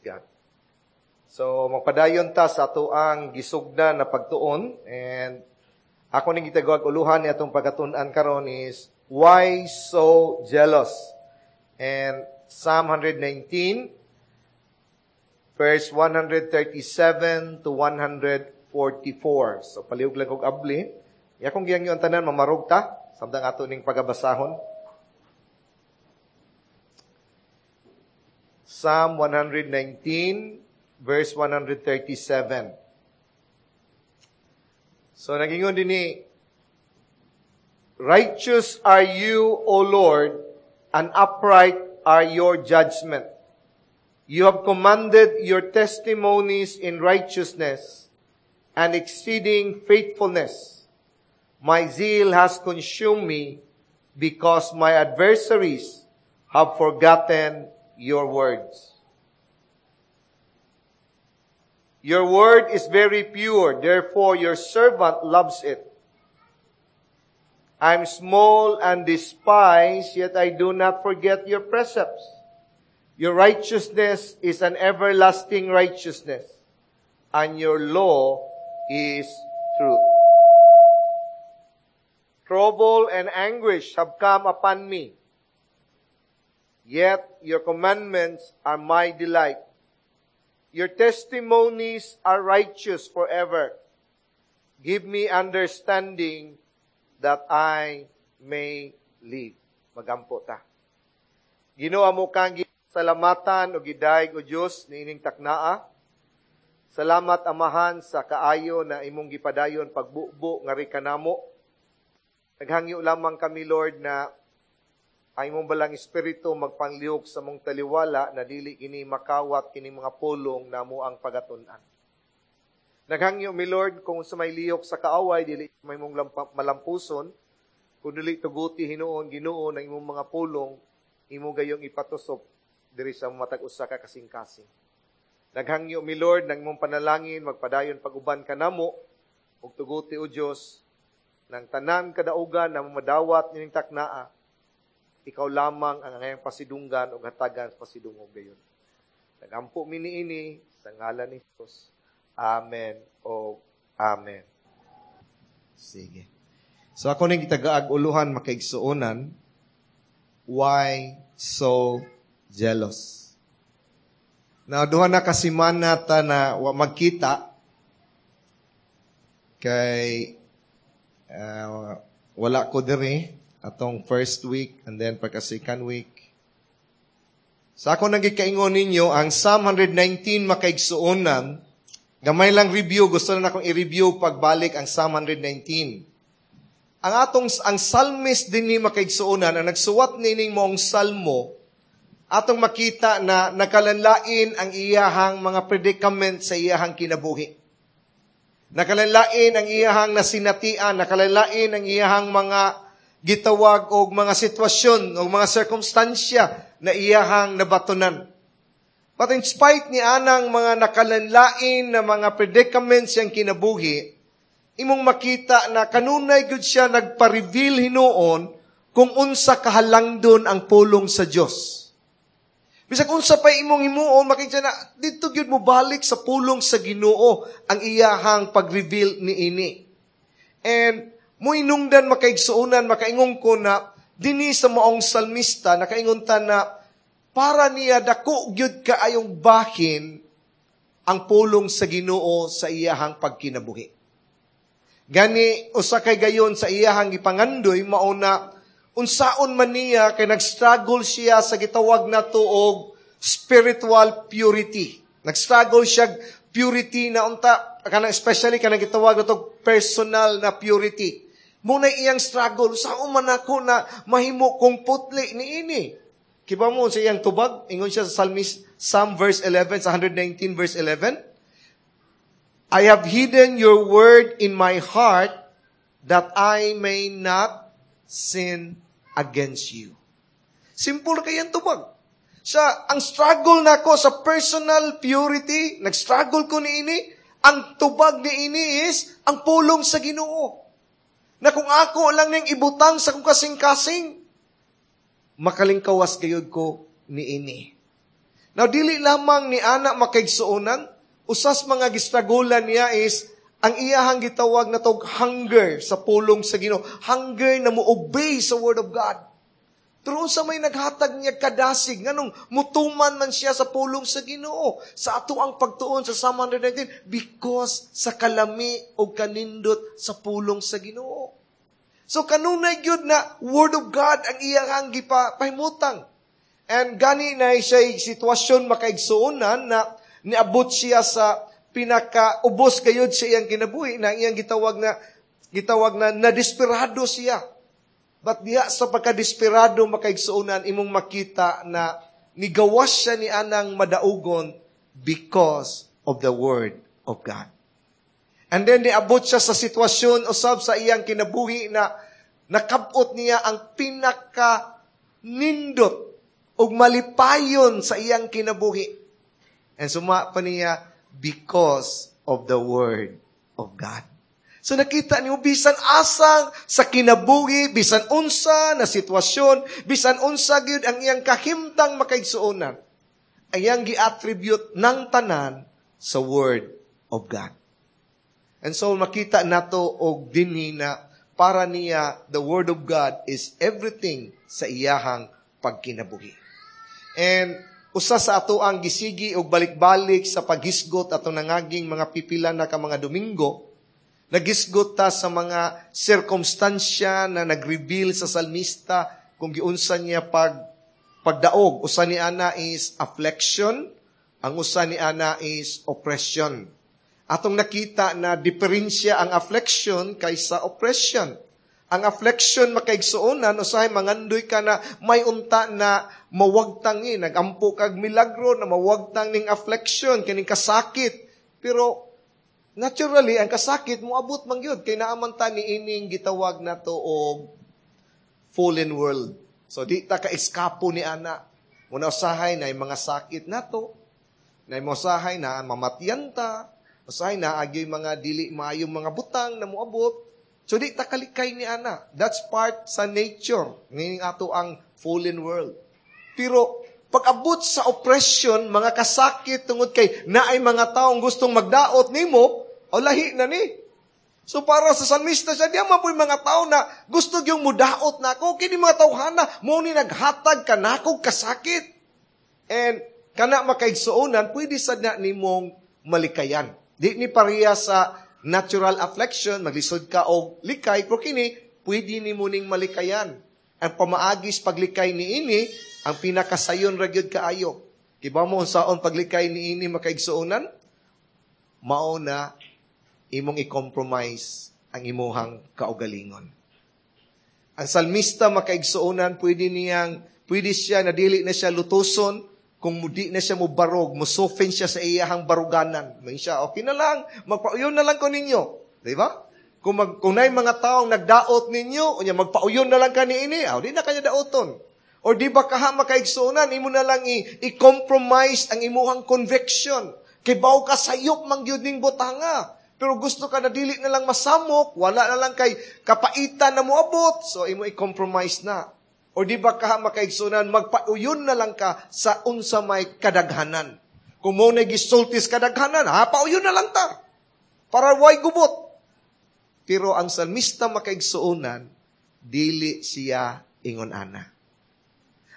God. So, magpadayon ta sa atoang gisugdan na pagtuon, and ako ning gitawag uluhan ni atong pagkatun-an karon is "Why So Jealous?" And Psalm 119 verse 137 to 144. So palihog lang kog abli. Ya kung giyang ang tanan mamarog ta samtang ato ning pagabasahon. Psalm 119 verse 137. So nagingon din ni, "Righteous are you, O Lord, and upright are your judgment. You have commanded your testimonies in righteousness and exceeding faithfulness. My zeal has consumed me because my adversaries have forgotten your words. Your word is very pure, therefore your servant loves it. I am small and despised, yet I do not forget your precepts. Your righteousness is an everlasting righteousness, and your law is truth. Trouble and anguish have come upon me, yet your commandments are my delight. Your testimonies are righteous forever. Give me understanding that I may live." Magampo ta. Ginoo, amo kang salamatan o gidayeg o Dios niining taknaa. Salamat, Amahan, sa kaayo na imong gipadayon pagbubo ngari kanamo. Naghangyo lamang kami, Lord, na ang imong balang espiritu magpanglihok sa mong taliwala na dili kini makawat kini mga pulong namo ang pagatun-an. Naghangyo mi, Lord, kung sa may lihok sa kaaway, dili may mong malampuson, kung dili tuguti hinuon, Ginoo, ng imong mga pulong, imo gayong ipatusop diri sa matag usa ka kasing-kasing. Naghangyo mi, Lord, ng imong panalangin magpadayon pag-uban kanamo ug tuguti, o Dios, ng tanan kadaugan na madawat nining taknaa, ikaw lamang ang angayang pasidunggan o hatagan sa pasidungog gayon. Nagampo mi niini sa ngalan ni Jesus. Amen o amen. Sige. So ako ning gitagaag uluhan, makaigsuonan, "Why So Jealous?" Now, duha na kasimana ta na wa magkita kay wala ko diri atong first week and then pagka second week. Sa ako nang gikaingon ninyo, ang Psalm 119, makaigsuonan, gamay lang review, gusto na akong i-review pagbalik ang Psalm 119. Ang psalmist din ni, makaigsuonan, ang nagsuwat nining maong salmo, atong makita na nakalanlain ang iyahang mga predicament sa iyahang kinabuhi. Nakalanlain ang iyahang nasinatian, nakalanlain ang iyahang mga gitawag og mga sitwasyon o mga sirkumstansya na iyahang nabatunan. But in spite ni anang mga nakalanlain na mga predicaments siyang kinabuhi, imong makita na kanunay gud siya nagpa-reveal hinuon kung unsa kahalangdon ang pulong sa Dios. Bisag unsa pa imong himuon, makita na dito gyud mo balik sa pulong sa Ginoo ang iyahang pag-reveal niini. And muinungdan, makaigsuonan, makaingon ko na dinhi sa maong salmista, nakaingon ta na para niya dako gyud kaayong bahin ang pulong sa Ginoo sa iyahang pagkinabuhi. Gani usa kay gayon sa iyahang gipangandoy mao na unsaon man niya kay nag-struggle siya sa gitawag nato og spiritual purity. Nag-struggle siya purity na unta kanang especially kanang gitawag nato personal na purity. Muna iyang struggle, saon man ako na mahimo kong putli niini? Kiba mo sa iyang tubag, ingon siya sa Psalmist, Psalm verse 11, sa 119 verse 11, "I have hidden your word in my heart that I may not sin against you." Simple kayang tubag. Sa ang struggle nako sa personal purity, nag-struggle ko niini, ang tubag niini is ang pulong sa Ginoo. Na kung ako lang nang ibutang sa kong kasing-kasing, makalingkawas gayud ko niini. Now, dili lamang ni ana, makaigsuonan, usas mga gistragulan niya is ang iyahang gitawag na tog hunger sa pulong sa Ginoo, hunger na mo obey sa word of God. Pero unsa may naghatag niya kadasig, nganong mutuman man siya sa pulong sa Ginoo sa ato ang pagtuon sa Psalm 119? Because sa kalami o kanindot sa pulong sa Ginoo. So kanunay gyud na word of God ang iyang gipahimutang. And gani na siya sitwasyon, makaigsuonan, na niabot siya sa pinaka-ubos kayod sa iyang kinabuhi na iyang gitawag na nadesperado siya. But diha sa pagkadesperado, makaigsuonan, imong makita na nigawas siya ni anang madaugon because of the word of God. And then niabot siya sa sitwasyon usab sa iyang kinabuhi na nakabot niya ang pinaka nindot ug malipayon sa iyang kinabuhi. And suma pa niya, because of the word of God. So nakita niyo, bisan asang sa kinabuhi, bisan unsa na sitwasyon, bisan unsa gyud ang iyang kahimtang, makaigsuonan, iyang gi-attribute ng tanan sa word of God. And so makita nato og dinhi na para niya, the word of God is everything sa iyahang pagkinabuhi. And usa sa ato ang gisigi og balik-balik sa paghisgot atong nangaging mga pipila na ka mga Domingo, nagisgot ta sa mga sirkumstansya na nag-reveal sa salmista kung giunsa niya pagdaog. Usa ni ana is affliction, ang usa ni ana is oppression. Atong nakita na diferensya ang affliction kaysa oppression. Ang affliction, makaigsuonan, usahay mangandoy ka na may unta na mawagtang ni, nagampo kag milagro na mawagtang ning affliction, kining kasakit. Pero naturally, ang kasakit moabot man gyud kay naaman ta ni ining gitawag nato og fallen world. So di ta ka eskapo ni ana. Muna usahay na mga sakit nato, na usahay na mamatyan ta, usahay na agyoy mga dili maayong mga butang na moabot. So di ta kalikay ni ana. That's part sa nature ning ato ang fallen world. Pero pag-abot sa oppression, mga kasakit tungod kay naay mga taong gustong magdaot nimo, o lahi na ni. So para sa salmista siya, di man po'y mga tao na gusto yung mudaot na ako, kini mga tawhana, mo ni naghatag ka nako kasakit. And kana, makaigsuonan, pwede sa na nimong malikayan. Di ni pareha sa natural affliction, maglisod ka og likay, pero kini, pwede nimo ning malikayan. Ang pamaagis paglikay ni ini, ang pinakasayon ra gyud kaayo. Kibaw mo unsaon paglikay ni ini, makaigsuonan? Mao na imong i-compromise ang imuhang kaugalingon. Ang salmista, makaigsuonan, pwede siya na dili na siya lutuson kung di na siya mo barog, mo-soften siya sa iyahang baruganan. May siya, "Okay na lang, magpauyon na lang ko ninyo." Di ba? Kung naay mga taong nagdaot ninyo, unya magpauyon na lang ka niini, aw, di na kanya daoton. Or di ba kaha, makaigsuonan, imo na lang i-compromise ang imuhang conviction. Kay baw ka sayop man gyud ning butanga. Pero gusto ka na dili na lang masamok, wala na lang kay kapaitan na moabot, so imo i-compromise na. Or di ba kaha, makaigsunan, magpauyon na lang ka sa unsa may kadaghanan. Kung mo na gisultis kadaghanan, ha, pauyon na lang ta. Para way gubot. Pero ang salmista, makaigsuonan, dili siya ingon ana.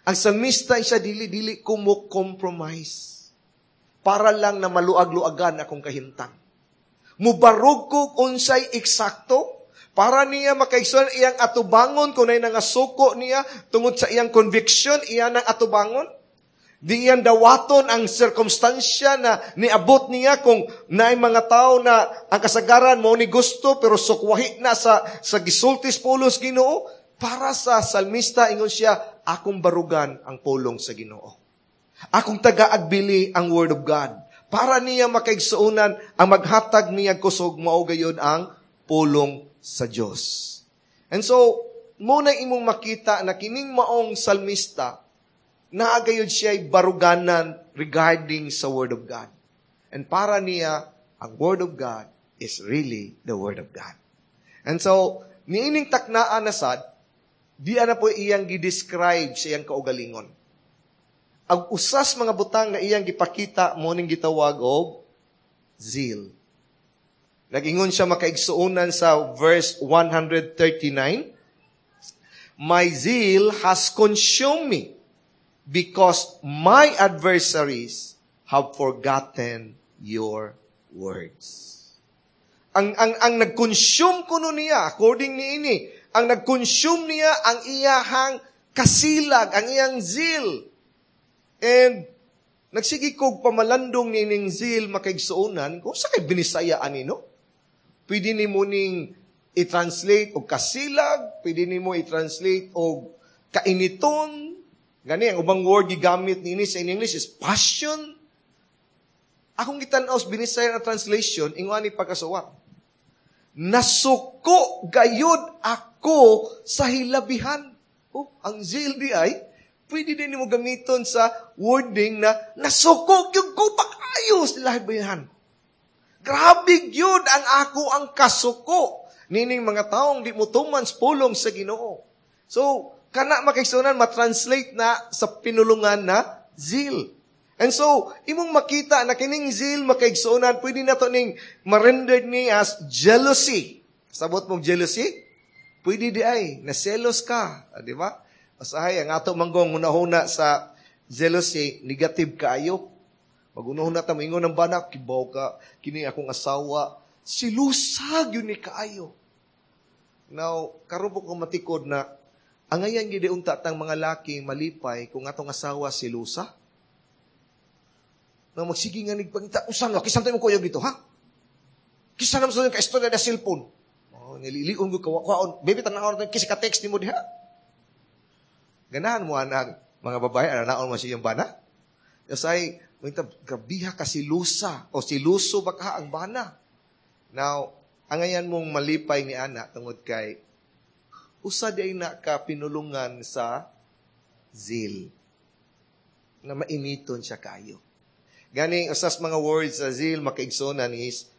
Ang salmista siya, dili ko mo compromise para lang na maluag-luagan akong kahimtang. Mubarog ko unsay eksakto para niya, makaigsoon, iyang atubangon kung nay nangasuko niya tungod sa iyang conviction, iya nang atubangon. Di iyang dawaton ang sirkumstansya na niabot niya kung naay mga tao na ang kasagaran mo ni gusto pero sukwahi na sa gisultis pulong Ginoo. Para sa salmista, ingon siya, "Akong barugan ang pulong sa Ginoo. Akong taga-agbili ang word of God." Para niya, makaigsuonan, ang maghatag niya kusog mao gayon ang pulong sa Dios. And so, muna imong makita na kining maong salmista, naa gayud siya baruganan regarding sa Word of God. And para niya, ang Word of God is really the Word of God. And so, niining taknaan na sad, di na po iyang gi-describe sa iyang kaugalingon. Ang usas mga butang na iyang gipakita mo ning gitawag og zeal. Nag-ingon siya, makaigsuonan, sa verse 139, "My zeal has consumed me because my adversaries have forgotten your words." Ang nag-consume kuno niya, according ni ini, ang nag-consume niya ang iyahang kasilag, ang iyang zeal. And nagsige kog pamalandong ni ning zeal, makaigsuonan, kung sa kay Binisaya ani, no? Pwede nimo ning i-translate og kasilag, pwede nimo i-translate og kainiton. Gani ang ubang word gigamit niini sa in English is passion. Akong gitan-aw sa Binisaya na translation, ingon ani pagkasuwat. "Nasuko gayud ako sa hilabihan." Oh, ang zeal di ay, pwede din mo gamiton sa wording na nasuko gyud ko pag-ayo sa hilabihan. Grabe gyud ang ako ang kasuko nining mga taong di mo tuman sa pulong sa Ginoo. So, kana, makaigsuonan, matranslate na sa pinulungan na zeal. And so, imong makita na kining zeal, makaigsuonan, pwede na to ning ma-rendered ni as jealousy. Sabot mong jealousy? Pwede di ay, naselos ka. Ah, di ba? Masahay, ang ato manggong hunahuna sa jealousy, negative kaayo. Magunahuna ta, moingon ng bana, "Kibaw ka, kini akong asawa, silusa gyud ni kaayo." Now, karon po ko matikod na, angayan gid unta tang mga laki malipay kung atong asawa silusa. Na magsige nga nigpangita, "Usa nga, kisan tayo mo kuyog dito, ha? Kisa naman sa ka-istorya na cellphone. Oh, nililion ko kawaon. Baby, tanawon natin, kisa ka-text nimo diha." Ganahan mo anang mga babae, ananaon mo siya yung bana? Kasi, mangita, "Grabiha ka silusa, o siluso ba ka ang bana?" Now, angayan mong malipay ni ana tungod kay usa di ay na ka pinulungan sa zeal na mainiton siya kayo. Ganing usas mga words sa zeal, makaigsuonan, is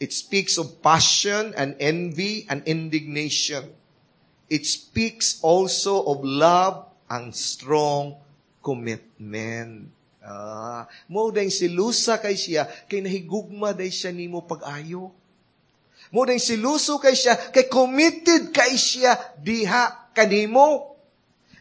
it speaks of passion and envy and indignation. It speaks also of love and strong commitment. Ah, mo dayong silusa kay siya kay nahigugma day siya nimo pag-ayo. Mo dayong siluso kay siya kay committed kay siya diha kanimo.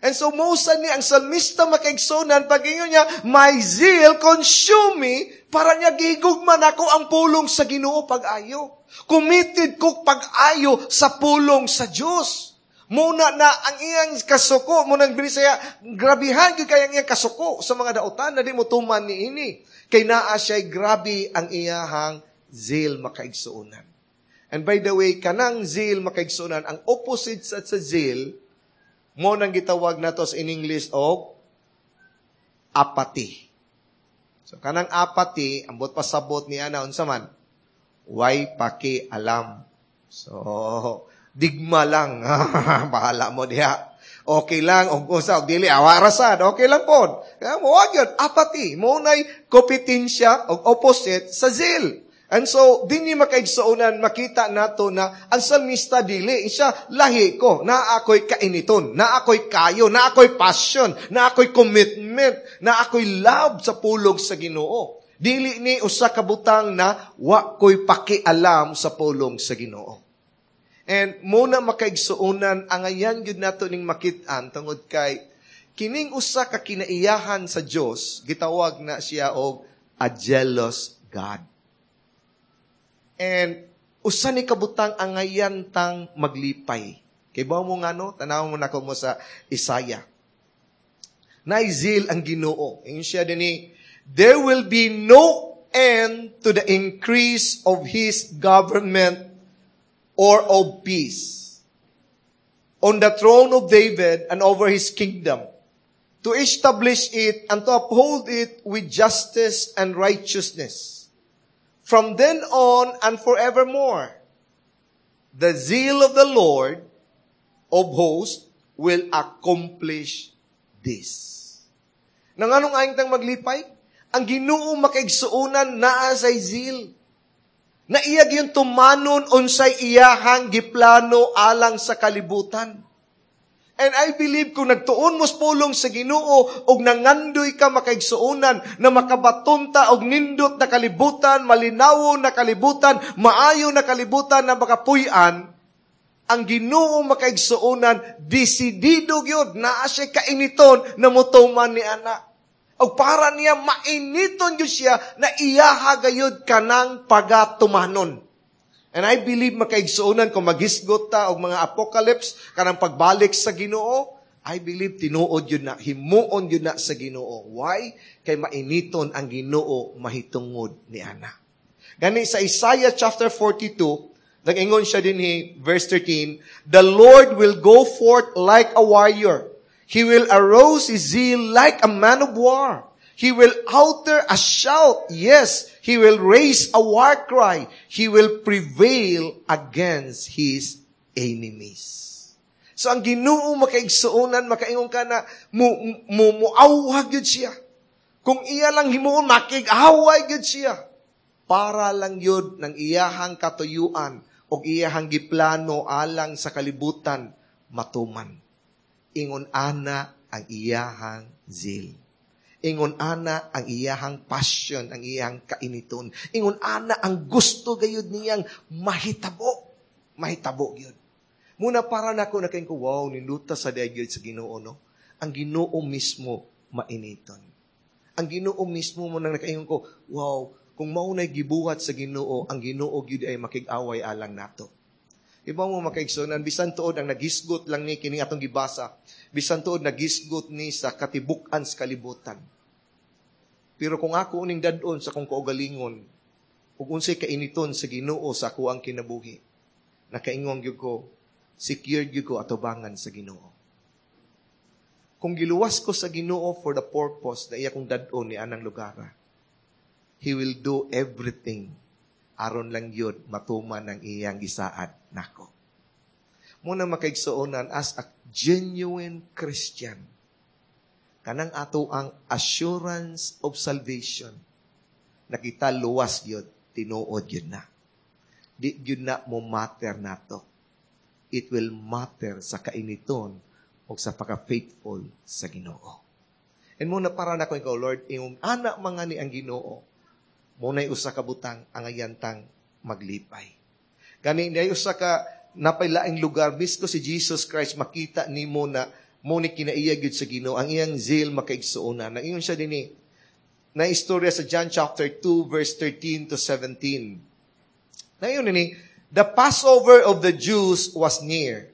And so mo ni ang salmista, makaigsuonan, pag niya, "My zeal consume me," para niya gigugma nako ang pulong sa Ginoo pag-ayo. Committed ko pag-ayo sa pulong sa Dios. Muna na ang iyang kasuko, mo nang Binisaya, grabihan gyud kay ang iyang kasuko sa mga dautan na di mo tuman ni ini. Kay naa siya'y grabe ang iyahang zeal, makaigsuonan. And by the way, kanang zeal, makaigsuonan, ang opposite sa zeal, mo nang gitawag nato sa in English og apathy. So kanang apathy, ambot pasabot ni ana unsa man? Way paki alam. So digma lang. Bahala mo diha. Okay lang, og usa og dili awa rasad, okay lang pod. Kaya mo yun, apathy. Mo nay kompetensya og opposite sa zeal. And so, dinhi, makaigsuonan, makita nato na ang salmista dili, siya lahi ko, na ako'y kainiton, na ako'y kayo, na ako'y passion, na ako'y commitment, na ako'y love sa pulong sa Ginoo. Dili ni usa ka butang na wa ko'y pakialam sa pulong sa Ginoo. And muna, makaigsuonan, angayan gyud nato ning makit-an tungod kay kining usa ka kinaiyahan sa Dios, gitawag na siya og a jealous God. And usa ni kabutang angayan tang maglipay. Kay ba mo ngano, tanaw mo nako mo sa Isaiah. Naay zeal ang Ginoo. Ingon siya dinhi, "There will be no end to the increase of his government or of peace on the throne of David and over his kingdom, to establish it and to uphold it with justice and righteousness from then on and forevermore. The zeal of the Lord of hosts will accomplish this." Nang anong ayong tang maglipay? Ang Ginoo, makaigsuonan, naa say zeal. Na iya gyud tumanon unsay iyahang giplano alang sa kalibutan. And I believe kung nagtuon mo sa pulong sa Ginoo og nangandoy ka, makaigsuonan, na makabaton ta og nindot na kalibutan, malinawon na kalibutan, maayo na kalibutan na makapuy-an, ang Ginoo, makaigsuonan, desidido gyud naa siya kainiton na motuman ni ana. Og para niya mainiton gyud siya na iyaha gayud kanang pagatumanon. And I believe, makaigsuonan, kung maghisgot ta og mga apocalypse kanang pagbalik sa Ginoo, I believe tinuod yun na, himuon yun na sa Ginoo. Why? Kay mainiton ang Ginoo mahitungod ni ana. Gani sa Isaiah chapter 42, nag-ingon siya dinhi, verse 13, "The Lord will go forth like a warrior. He will arouse his zeal like a man of war. He will utter a shout. Yes, he will raise a war cry. He will prevail against his enemies." So ang Ginoo, makaigsuonan, makaingon ka na mo muawhag gyud siya. Kung iya lang himuon, makig-away gyud siya. Para lang yun ng iyahang katuyuan o iyahang giplano alang sa kalibutan matuman. Ingon ana ang iyahang zeal. Ingon ana ang iyahang passion, ang iyahang kainiton. Ingon ana ang gusto gayud niyang mahitabo. Mahitabo gyud. Muna para nako nakaingon ko, "Wow, ninduta sa gyud sa Ginoo, no?" Ang Ginoo mismo mainiton. Ang Ginoo mismo mo nang nakaingon ko, "Wow, kung mao na'y gibuhat sa Ginoo, ang Ginoo gyud ay makig-away alang nato." Iba mo, makaigsuonan, bisan tuod ang naghisgot lang ni kini atong gibasa, bisan tuod naghisgot ni sa katibuk-an sa kalibutan. Pero kung ako uning dad-on sa kong kaugalingon, ug unsay kainiton sa Ginoo sa ako ang kinabuhi, nakaingon gyud ko, secured gyud ko atubangan sa Ginoo. Kung giluwas ko sa Ginoo for the purpose na iya kong dad-on ni anang lugar, He will do everything aron lang yun matuman ang iyang gisaad nako. Muna, makaigsuonan, as a genuine Christian, kanang ato ang assurance of salvation, nakita luwas yun, tinuod yun na. Di yun na mo matter nato. It will matter sa kainiton o sa pagka-faithful sa Ginoo. And muna para na ko ikaw, Lord, iyong anak mga ni ang Ginoo, muna'y usa ka butang ang ayantang maglipay. Gani nay usa ka napaylaing lugar misko si Jesus Christ, makita nimo na mo ni kinaiya gyud sa Ginoo ang iyang zeal, makaigsuonan. Naingon siya dinhi na istorya sa John chapter 2 verse 13 to 17. Naingon ni, "The Passover of the Jews was near.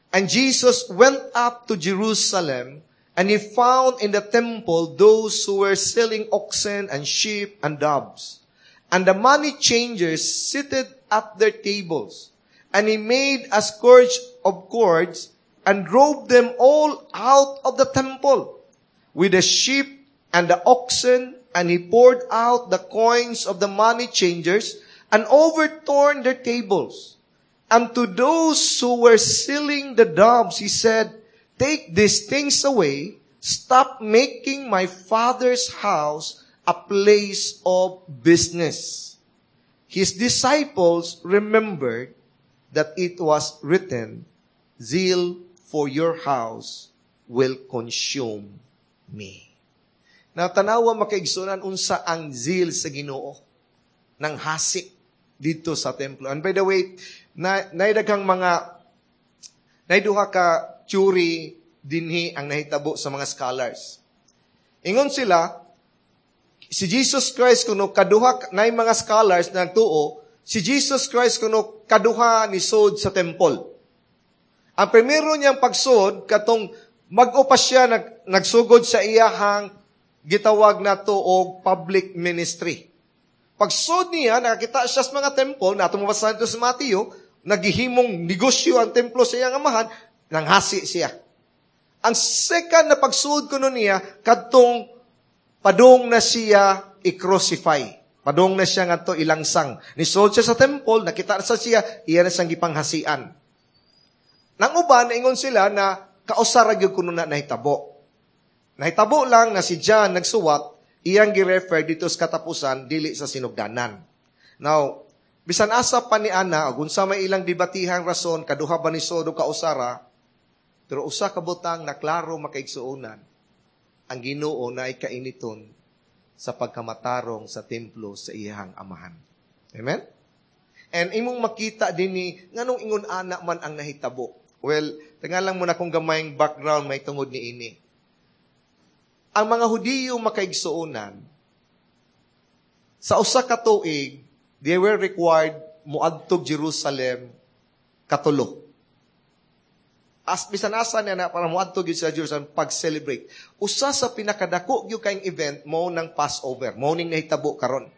And Jesus went up to Jerusalem, and he found in the temple those who were selling oxen and sheep and doves, and the money changers seated at their tables. And he made a scourge of cords and drove them all out of the temple with the sheep and the oxen, and he poured out the coins of the money changers and overturned their tables. And to those who were selling the doves, he said, 'Take these things away. Stop making my Father's house a place of business.' His disciples remembered that it was written, 'Zeal for your house will consume me.'" Na tanawa, makaigsunan, unsa ang zeal sa Ginoo ng hasi dito sa templo. And by the way, na naidaghang mga naiduha ka theory dinhi ang nahitabo sa mga scholars. Ingon sila, si Jesus Christ kuno kaduha, nay mga scholars na nagtuo, si Jesus Christ kuno kaduha ni sod sa temple. Ang primero niyang pagsod, katong mag-o pa siya nagsugod sa iyahang gitawag nato og public ministry. Pagsod niya, nakakita siya sa mga temple, na mabasa ito sa Mateo, naghihimong negosyo ang templo sa iyang amahan, nanghasi siya. Ang second na pagsud kuno niya, kadtong padung na siya i-crucify. Padung na siya ngadto ilangsang. Nisod siya sa temple, nakita sa siya, iya na siyang gipanghasian. Nang uban, naingon sila na kausa ra gyud kuno na nahitabo. Nahitabo lang na si John nagsuwat, iyang gi-refer dito sa katapusan, dili sa sinugdanan. Now, bisan asa pa ni ana, ug unsa may ilang debatihang rason, kaduha ba ni sod o kausara, Pero usa ka butang na klaro, makaigsuonan, ang Ginoo naay kainiton sa pagkamatarong sa templo sa iyang amahan. Amen? And imong makita dinhi nganong ingon ana man ang nahitabo. Well, tingalang mo na kung gamayng background may tungod ni ini. Ang mga Hudiyo, makaigsuonan, sa usa ka tuig, they were required moadtog Jerusalem katulo. As bisan asa niya na para moadto gyud sa Jerusalem pag-celebrate. Usa sa pinakadako gyud kayong event mao nang Passover, mao ning nahitabo karon.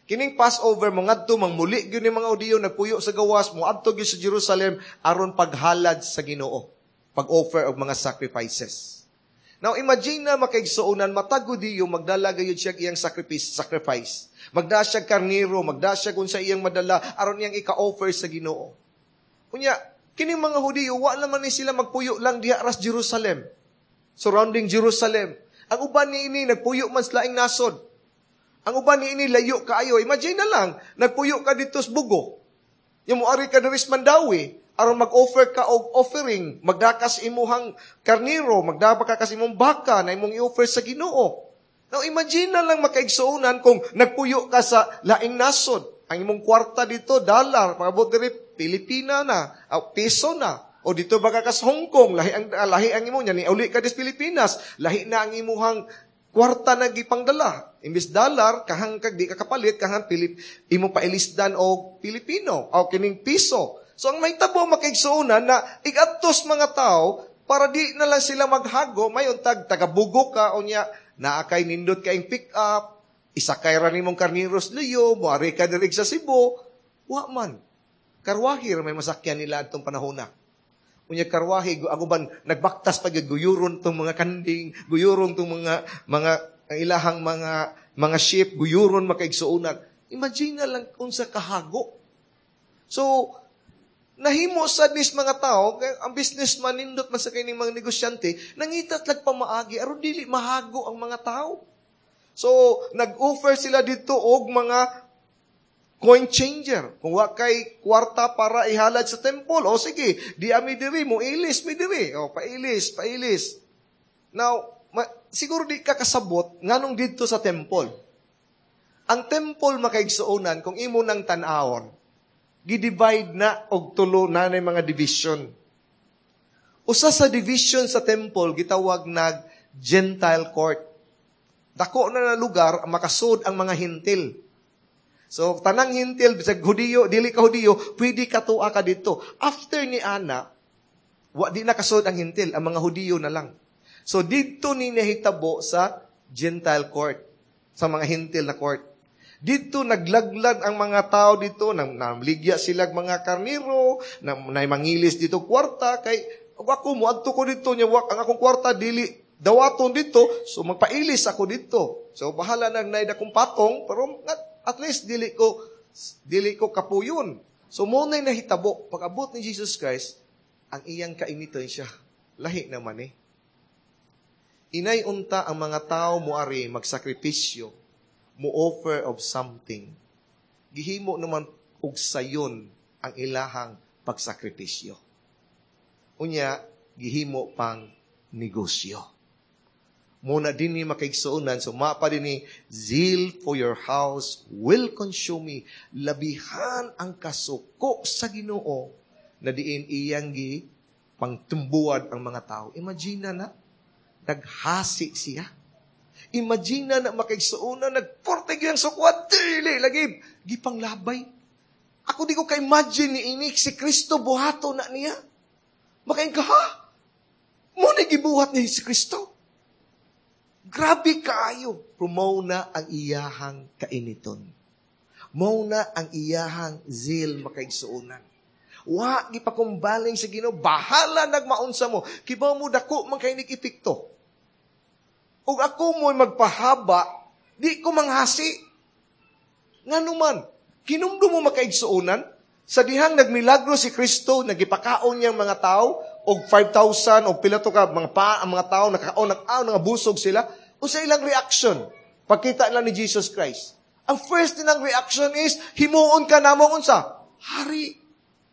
Kining Passover mo ngadto mangmuli gyud ni mga Hudiyo nagpuyo sa gawas, moadto gyud sa Jerusalem aron paghalad sa Ginoo, pag-offer og mga sacrifices. Now imagine na, makaigsuonan, matag Hudiyo magdala gayud siya iyang sacrifice. Magdala siya karniro, magdala siya kung sa iyang madala aron iyang ika-offer sa Ginoo. Unya, kining mga Hudiyo, wa naman ni sila magpuyo lang diha ras Jerusalem. Surrounding Jerusalem. Ang uban ni ini nagpuyo man sa laing nasod. Ang uban ni ini layo kaayo. Imagine na lang, nagpuyo ka dito sa Bogo. Yung muari ka diri sa Mandaue, aron mag-offer ka og offering, magdakas imuhang karniro, magdaba ka kas imong baka na imong i-offer sa Ginoo. Now imagine na lang, makaigsuonan, kung nagpuyo ka sa laing nasod. Ang imong kwarta dito, dollar, pagabot diri Pilipina na, o piso na. O dito baka kas Hong Kong, lahi ang imo niya, ni uli ka dis Pilipinas, lahi na ang imuhang kwarta na gipangdala. Imbis dollar, kahang kag di ka kapalit, kahang Pilip, imo pailisdan og Pilipino, o kining piso. So ang mahitabo, makaigsuonan, na igadtos mga tao para di na lang sila maghago, mayon tag tagabugo ka o niya naa kay nindot kaing pick up, isakay ra nimong karniros luyo, moari ka diri sa Cebu, wa man. Karwahe ra may masakyan nila atong panahona. Unya karwahe, ako ban nagbaktas pag guyuron tong mga kanding, guyuron tong mga ang ilahang mga sheep, guyuron, makaigsuonan. Imagine na lang unsa kahago. So, nahimo sad nis mga tao, kay ang businessman nindot man sa kining mga negosyante, nangita lag pamaagi aron dili mahago ang mga tao. So, nag-offer sila dito og mga coin changer. Kung wa kay kwarta para ihalad sa temple, o sige, di ami diri mo ilis mi diri. O pailis, pailis. Now, siguro di ka kasabot nganong didto sa temple. Ang temple, makaigsuonan, kung imo nang tan-awon, gi-divide na og tulo na na mga division. Usa sa division sa temple gitawag nag Gentile Court. Dako na na lugar makasud ang mga Hintil. So tanang Hintil, bisag Hudiyo, dili ka Hudiyo, pwede ka tua ka dito. After ni ana, wa di nakasud ang Hintil, ang mga Hudiyo na lang. So didto ni nahitabo sa Gentile Court, sa mga Hintil na court. Dito naglaglag ang mga tao dito, nang namligya sila mga karniro, nang mangilis dito kwarta kay ako moadto ko dito nya wak ang akong kwarta dili dawaton dito, so magpailis ako dito. So bahala nang naay dakong patong, pero at least dili ko kapuyon. So mo na nahitabo pag-abot ni Jesus Christ, ang iyang kainiton siya. Lahi naman eh. Inay unta ang mga tao moari magsakripisyo, mo offer of something. Gihimo naman og sayon ang ilahang pagsakripisyo. Unya, gihimo pang negosyo. Muna din ni makaigsuonan, so mapa din ni "Zeal for your house will consume me." Labihan ang kasuko sa Ginoo na diin iyang gi pangtumbuad ang mga tao. Imagine na, naghasi siya. Imagine na, makaigsuonan, nagporte gyud ang sukwat, dili lagi gipanglabay. Ako di ko ka-imagine ni ini si Kristo buhato na niya. Makain ka, ha? Mo na gibuhat ni si Kristo. Grabe kaayo. Pero mao na ang iyahang kainiton. Mao na ang iyahang zeal, makaigsuonan. Wa gipakumbaling sa Ginoo, bahala nagmaunsa mo. Kibaw mo dako man kay epekto. Ug ako mo'y magpahaba, di ko manghasi. Ngano man, kinumdum mo, makaigsuonan, sa dihang nagmilagro si Kristo, nagipakaon niyang mga tao, og 5,000 o pila to ka mga pa ang mga tao nakakaon, nakaon, nga busog sila, unsa ilang reaction pagkita nila ni Jesus Christ? Ang first nilang reaction is, "Himuon ka namo unsa? Hari.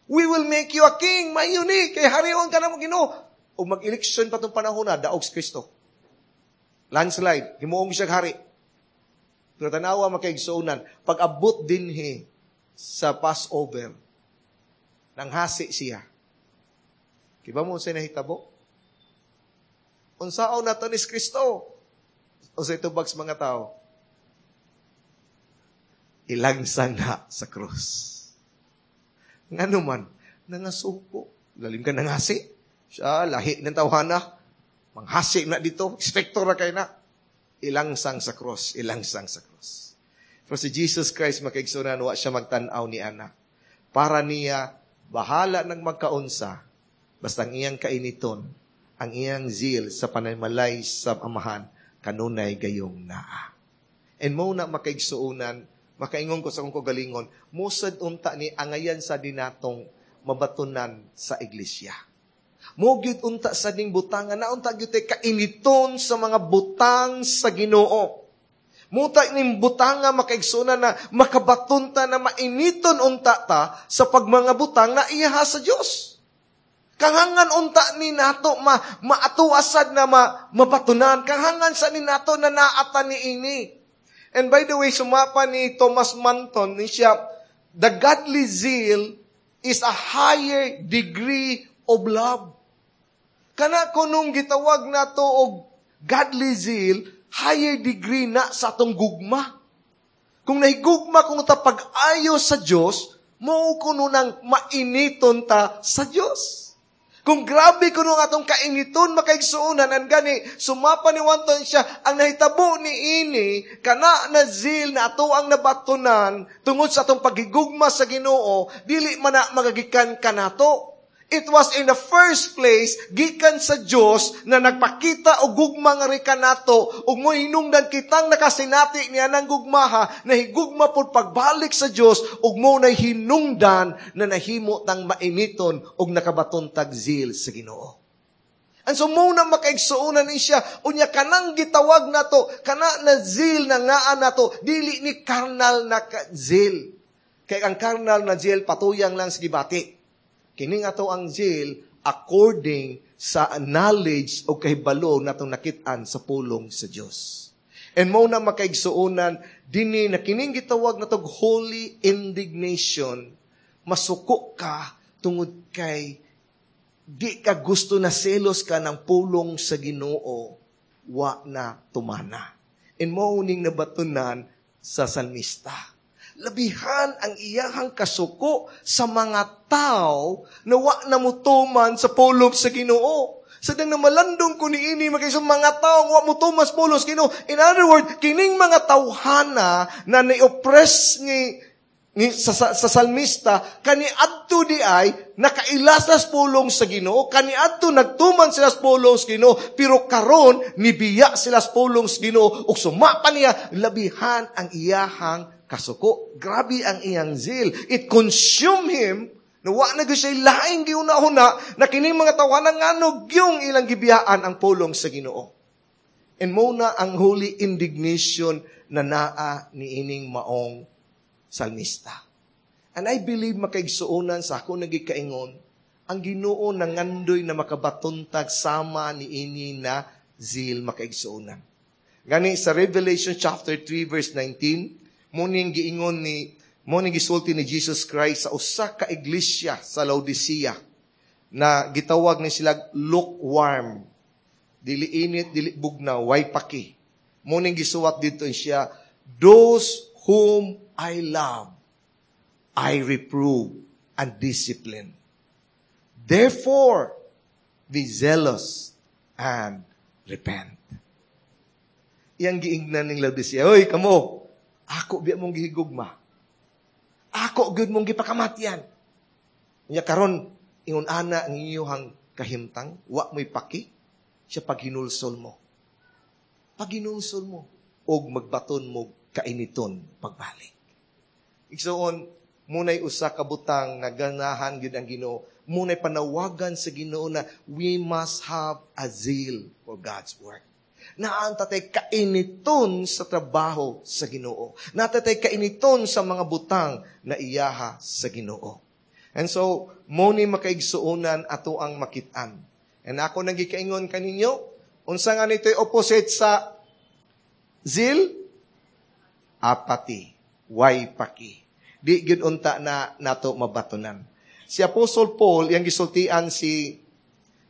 We will make you a king." Mayo ni kay harion ka namo, Ginoo. Ug mag-eleksyon pa tong panahon na, daog si Kristo. Landslide, himuong siya hari. Pero tanawa, makaigsuonan, pag-abot dinhi sa Passover, nanghasi siya. Kibaw mo unsay nahitabo? Unsaon nato ni Kristo? Unsay tubag sa mga tao? Ilangsang na sa krus. Ngano man, nangasuko. Lalim ka nangasi. Siya, lahi ng tawhana. Manghasi na dito. Inspector na kay na. Ilangsang sa cross. Ilangsang sa cross. Pero si Jesus Christ, makaigsunan, wa siya magtanaw ni ana. Para niya, bahala ng magkaunsa, basta ang iyang kainiton, ang iyang zeal sa panaymalay sa Amahan, kanunay gayong naa. And mo na, makaigsuunan, makaingon ko sa akong kagalingon, musad unta ni angayan sa dinatong mabatunan sa iglesia. Mo gyud unta sa ding butangan na unta gyud kainiton sa mga butang sa Ginoo. Muta ning butanga, makaigsunan, na makabaton ta na mainiton unta ta sa pagmanga butang na iyaha sa Dios. Kahangan unta ni nato ma maatuasad na mabatunan. Kahangan sa ni nato na naata ni ini. And by the way, sumapa ni Thomas Manton, ni siya, the godly zeal is a higher degree of love. Kana kunong gitawag nato og godly zeal, higher degree na sa atong gugma. Kung nahigugma kung ta pag-ayo sa Dios, mao kuno nang mainiton ta sa Dios. Kung grabe kuno ang atong kainiton, makaigsuonan, ang gani, sumapa ni Wanton siya, ang nahitabo ni ini, kana na zeal na ato ang nabatunan, tungod sa atong pagigugma sa Ginoo, dili man na magagikan kanato. It was in the first place, gikan sa Dios na nagpakita og gugma nga kanato, ug mohinungdan kitang nakasinati niya ng gugmaha, na higugma pud pagbalik sa Dios, ug mo na hinungdan na nahimo tang mainiton ug nakabaton tag zeal sa Ginoo. And so mo na, makaigsuonan ni siya, unya kanang gitawag nato, kana na zeal na ngaa nato, dili ni carnal na zeal. Kay ang carnal na zeal patuyang lang sa gibati. Kini nga to ang zeal according sa knowledge o kahibalo natong nakit-an sa pulong sa Dios. And mo na, makaigsuonan, dinhi na kining gitawag natog holy indignation, masuko ka tungod kay di ka gusto na selos ka ng pulong sa Ginoo wa na tumana. And mo ning nabatunan sa salmista. Labihan ang iyahang kasuko sa mga tao na wa na mutuman sa pulong sa Ginoo. Sa dang namalandong ko ni ini makay sa mga tao wa mutuman sa pulong sa Ginoo. In other words, kining mga tawhana na ni-oppress ni sa salmista kani adto di ay nakailas sa pulong sa Ginoo, kani adto nagtuman sila sa pulong sa Ginoo, pero karon nibiya sila sa pulong sa Ginoo ug suma pa niya labihan ang iyahang kasuko. Grabe ang iyang zeal. It consumed him. Na wa na gyud siya laing giuna-una na kining mga tawanan ngano gyung ilang gibiyaan ang pulong sa Ginoo. And mo na ang holy indignation na naa niining maong salmista. And I believe, makaigsuonan, sa ako nagikaingon, ang Ginoo nangandoy na makabatuntag sama ni ini na zeal, makaigsuonan. Gani sa Revelation chapter 3 verse 19, mo ning gisulti ni Jesus Christ sa usa ka iglesia sa Laodicea na gitawag ni sila lukewarm. Dili init, dili bugnaw, way paki. Mo ning gisuwat dito siya, "Those whom I love, I reprove and discipline. Therefore, be zealous and repent." Iyang giingnan ning Laodicea, "Oy, kamo, ako biya mong gihigugma. Ako gyud mong gipakamatyan. Nya karon ingon ana ang inyong kahimtang, wa mo'y paki siya paghinulsol mo. Paghinulsol mo og magbaton mo kainiton pagbalik." Igsoon, muna'y usa ka butang nga ganahan gyud ang Ginoo. Muna'y panawagan sa Ginoo na we must have a zeal for God's work. Naa unta tay kainiton sa trabaho sa Ginoo. Naa tay kainiton sa mga butang na iyaha sa Ginoo. And so, mo ni, makaigsuonan, ato ang makitaan. And ako nang gikaingon kaninyo, unsa nga nito'y opposite sa zeal? Apathy. Way paki. Di gyud unta na nato mabatunan. Si Apostle Paul, iyang gisultian si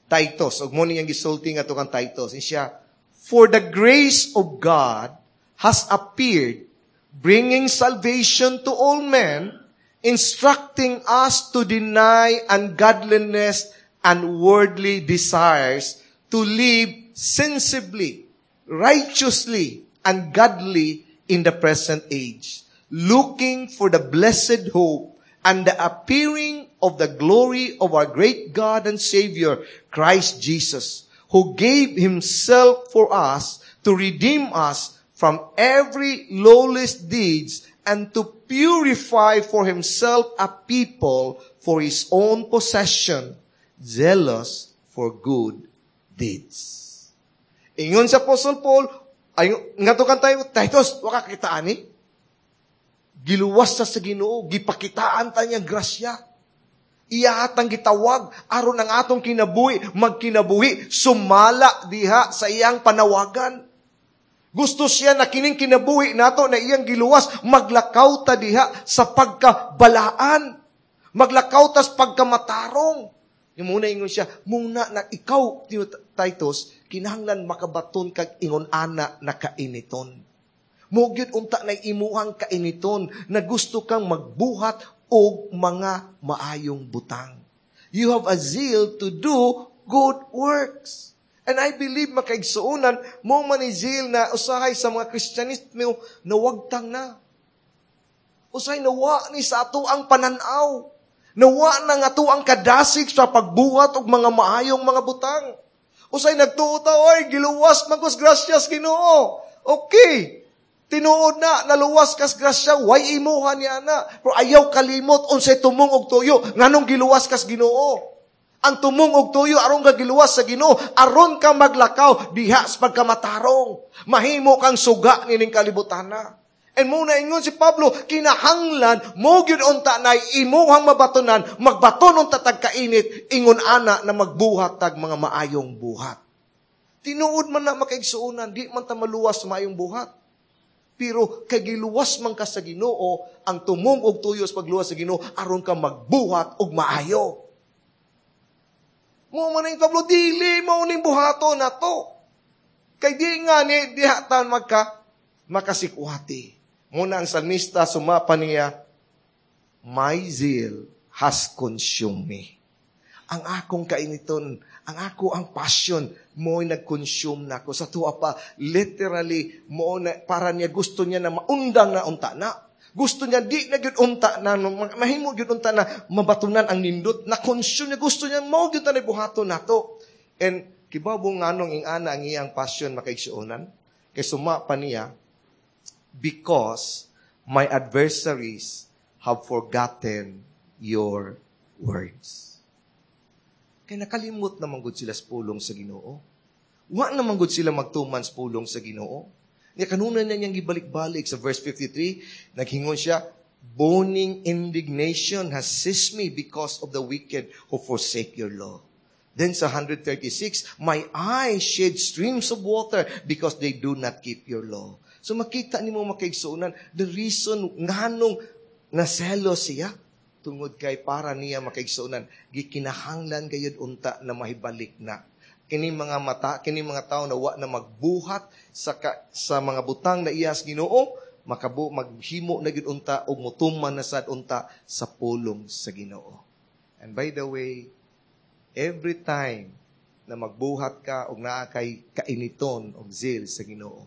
Titus, ug mo niyang gisulti nga kang Titus, siya, "For the grace of God has appeared, bringing salvation to all men, instructing us to deny ungodliness and worldly desires, to live sensibly, righteously, and godly in the present age, looking for the blessed hope and the appearing of the glory of our great God and Savior, Christ Jesus, who gave Himself for us to redeem us from every lawless deeds and to purify for Himself a people for His own possession, zealous for good deeds." Ingon sa Apostle Paul, ay, nga to kan tayo, "Titus, waka kita ani. Giluwas sa Ginoo, gipakitaan ta niya grasya. Iya atang gitawag aron ang atong kinabuhi magkinabuhi sumala diha sa iyang panawagan. Gusto siya na kining kinabuhi nato na iyang giluwas, maglakaw ta diha sa pagkabalaan. Maglakaw ta sa pagkamatarong." Yung muna ingon siya, muna na ikaw, Titus, kinahanglan makabaton kag ingon ana na kainiton. Mo gyud unta na imuhang kainiton na gusto kang magbuhat og mga maayong butang. You have a zeal to do good works. And I believe, makaigsuonan, mo man ni zeal na usahay sa mga Kristyanismo nawagtang na. Usahay nawa ni sa ato ang pananaw. Nawa na nga ato ang kadasig sa pagbuhat og mga maayong mga butang. Usay nagtuo ta, "Oy, giluwas man kos grasyas Ginoo." Okay. Tinuod na, naluwas kas grasya, way imuha niya na. Pero ayaw kalimot unsay tumong og tuyo, nganong giluwas kas Ginoo. Ang tumong og tuyo aron ka giluwas sa Ginoo, aron ka maglakaw diha sa pagkamatarong. Mahimo kang suga nining kalibutan na. And muna ingon si Pablo, kinahanglan mo gyud unta na imuhang mabatonan, magbaton unta tag kainit, ingon ana na magbuhat tag mga maayong buhat. Tinuod man na, makaigsuonan, di man ta maluwas sa maayong buhat. Pero kay giluwas man ka sa Ginoo, ang tumong og tuyo sa pagluwas sa Ginoo aron ka magbuhat og maayo. Mo man ang Pablo, dili mao ning buhaton nato. Kay di nga ni diha ta magka makasikwati. Muna ang salmista sumapa niya, "My zeal has consumed me." Ang akong kainiton, ang ako ang passion, mo'y nag-consume na ako. Sa tuwa pa, literally, mo na, para niya gusto niya na maundang na unta na. Gusto niya, di na gyud unta na, mahimo gyud unta na mabatunan ang nindot, na-consume niya, gusto niya, mo gyud na buhaton nato. And kibaw nganong ing-ana ang iyang passion, makaigsuonan? Kay suma pa niya, "Because my adversaries have forgotten your words." Kay nakalimot naman gud sila sa pulong sa Ginoo. Wa naman gud sila magtuman sa pulong sa Ginoo. Niya kanunay na niyang gibalik-balik sa verse 53, naghingon siya, "Burning indignation has seized me because of the wicked who forsake your law." Then sa 136, "My eyes shed streams of water because they do not keep your law." So makita nimo, makaigsuonan, the reason nganong naselo siya, tungod kay para niya, makaigsuonan, gikinahanglan gayud unta na mahibalik na. Kini mga mata, kini mga tao na wa na magbuhat sa mga butang na iyas Ginoo, makabu maghimo na gyud unta og mutuman na sad unta sa pulong sa Ginoo. And by the way, every time na magbuhat ka og naa kay kainiton og zeal sa Ginoo,